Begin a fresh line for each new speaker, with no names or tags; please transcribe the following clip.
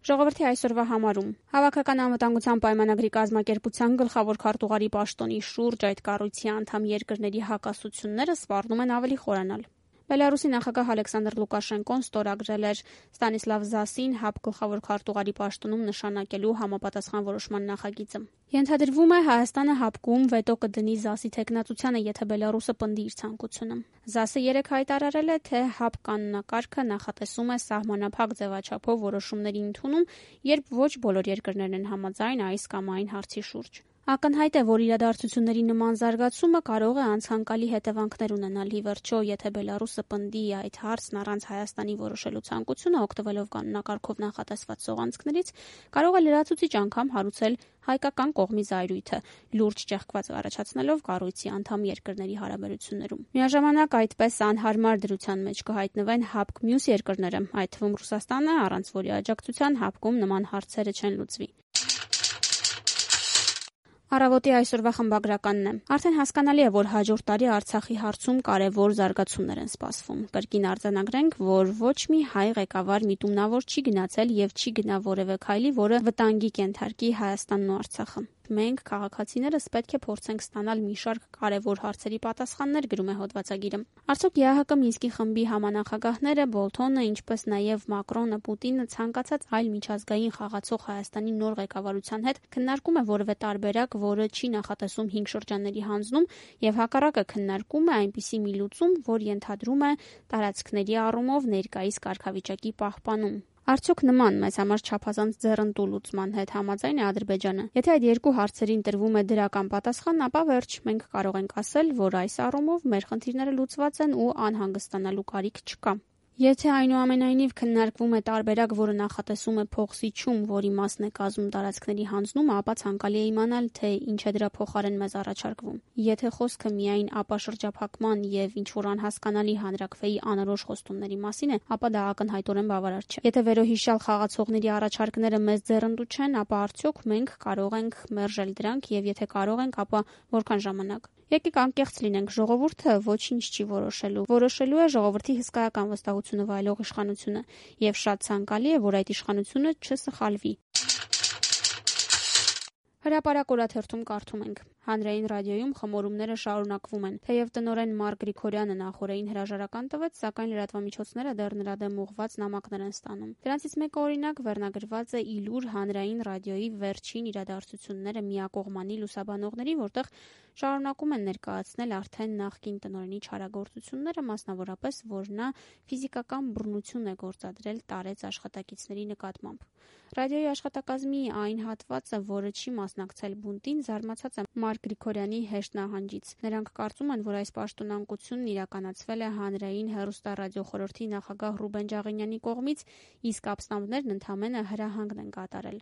Ժողովրդի այսօրվա համարում Հավաքական անվտանգության պայմանագրի կազմակերպության գլխավոր քարտուղարի պաշտոնի շուրջ այդ կառույցի անդամ երկրների հակասությունները սպառնում են ավելի խորանալ։ Բելարուսի նախագահ Ալեքսանդր Լուկաշենկոն ստորագրել էր Ստանիսլավ Զասին ՀԱՊ գլխավոր քարտուղարի պաշտոնում նշանակելու համապատասխան որոշման նախագիծը։ Ենթադրվում է Հայաստանը ՀԱՊԿ-ում վետո կդնի Զասի թեկնածությանը, եթե Բելարուսը պնդի իր ցանկությունը։ Զասը երեկ հայտարարել է, թե ՀԱՊ կանոնակարգը նախատեսում է սահմանափակ ձևաչափով որոշումների ընդունում, երբ ոչ բոլոր երկրներն են համաձայն այս կամ այն հարցի շուրջ։ Ակնհայտ է, որ իրադարձությունների նման զարգացումը կարող է անցանկալի հետևանքներ ունենալ։ Ի վերջո, եթե Բելարուսը պնդի այդ հարցն առանց Հայաստանի որոշելու ցանկությունը, օգտվելով կանոնակարգով նախատեսված սողանցքներից, կարող է լրացուցիչ անգամ հարուցել հայկական կողմի զայրույթը, լուրջ ճեղքված առաջացնելով կառույցի անդամ երկրների հարաբերություններում։ Միաժամանակ այդպես անհարմար դրության մեջ կհայտնվեն ՀԱՊԿ մյուս երկրները, այդ թվում Ռուսաստանը, առանց որի աջակցության ՀԱՊԿ-ում նման հարցերը չեն լուծվի։ Առավոտի այսօրվա խմբագրականն է. Արդեն հասկանալի է, որ հաջորդ տարի Արցախի հարցում կարևոր զարգացումներ են սպասվում։ Կրկին արձանագրենք, որ ոչ մի հայ ղեկավար միտումնավոր չի գնացել եւ չի գնա որևէ քայլի, որը վտանգի կենթարկի Հայաստանն ու Արցախը։ Մենք, քաղաքացիներս, պետք է փորձենք ստանալ մի շարք կարևոր հարցերի պատասխաններ, գրում է հոդվածագիրը։ Արդյոք ԵԱՀԿ Մինսկի խմբի համանախագահները Բոլթոնը, ինչպես նաև Մակրոնը, Պուտինը ցանկացած այլ միջազգային խաղացող Հայաստանի նոր ղեկավարության հետ քննարկում է որևէ տարբերակ, որը չի նախատեսում 5 շրջանների հանձնում, եւ հակառակը քննարկում է այնպիսի մի լուծում, որ ենթադրում է տարածքների առումով ներկայիս կարգավիճակի պահպանում։ Արդյոք նման մեզ համար չափազանց ձեռնտու լուծման հետ համաձայն է Ադրբեջանը։ Եթե այդ երկու հարցերին տրվում է դրական պատասխան, ապա վերջ, մենք կարող ենք ասել, որ այս առումով մեր խնդիրները լուծված են ու անհանգստանալու կարիք չկա։ Եթե այնուամենայնիվ քննարկվում է տարբերակ, որը նախատեսում է փոխզիջում, որի մասն է կազմում տարածքների հանձնումը, ապա ցանկալի է իմանալ, թե ինչ է դրա փոխարեն մեզ առաջարկվում։ Եթե խոսքը միայն ապաշրջափակման եւ ինչ-որ անհասկանալի հանրաքվեի անորոշ խոստումների մասին է, ապա դա ակնհայտորեն բավարար չէ։ Եթե վերոհիշյալ խաղացողների առաջարկները մեզ ձեռնտու չեն, ապա արդյոք մենք կարող ենք մերժել դրանք եւ եթե կարող ենք, ապա որքան ժամանակ։ Եկեք անկեղծ լինենք, ժողովուրդը ոչինչ չի որոշելու։ Որոշելու է ժողովրդի հսկայական վստահությունը վայելող իշխանությունը, եւ շատ ցանկալի է, որ այդ իշխանությունը չսխալվի։ Հրապարակ օրաթերթում կարդում ենք. Հանրային ռադիոյում խմորումները շարունակվում են։ Թեև տնօրեն Մարկ Գրիգորյանը նախօրեին հրաժարական տվեց, սակայն լրատվամիջոցները դեռ նրա դեմ ուղղված նամակներ են ստանում։ Դրանցից մեկը օրինակ վերնագրված է «Իլուր» հանրային ռադիոյի վերջին իրադարձությունները միակողմանի լուսաբանողների, որտեղ շարունակում են ներկայացնել արդեն նախկին տնօրենի չարագործությունները, մասնավորապես, որ նա ֆիզիկական բռնություն է գործադրել տարեց աշխատակիցների նկատմամբ։ Ռադիոյի աշխատակազմի այն հատվածը, որը չի մասնակցել բունտին, զարմացած է Մարկ Գրիգորյանի հեշտ նահանջից։ Նրանք կարծում են, որ այս պաշտոնանկությունն իրականացվել է հանրային հեռուստառադիոխորհրդի նախագահ Ռուբեն Ջաղինյանի կողմից, իսկ ապստամբներն ընդամենը հրահանգն են կատարել։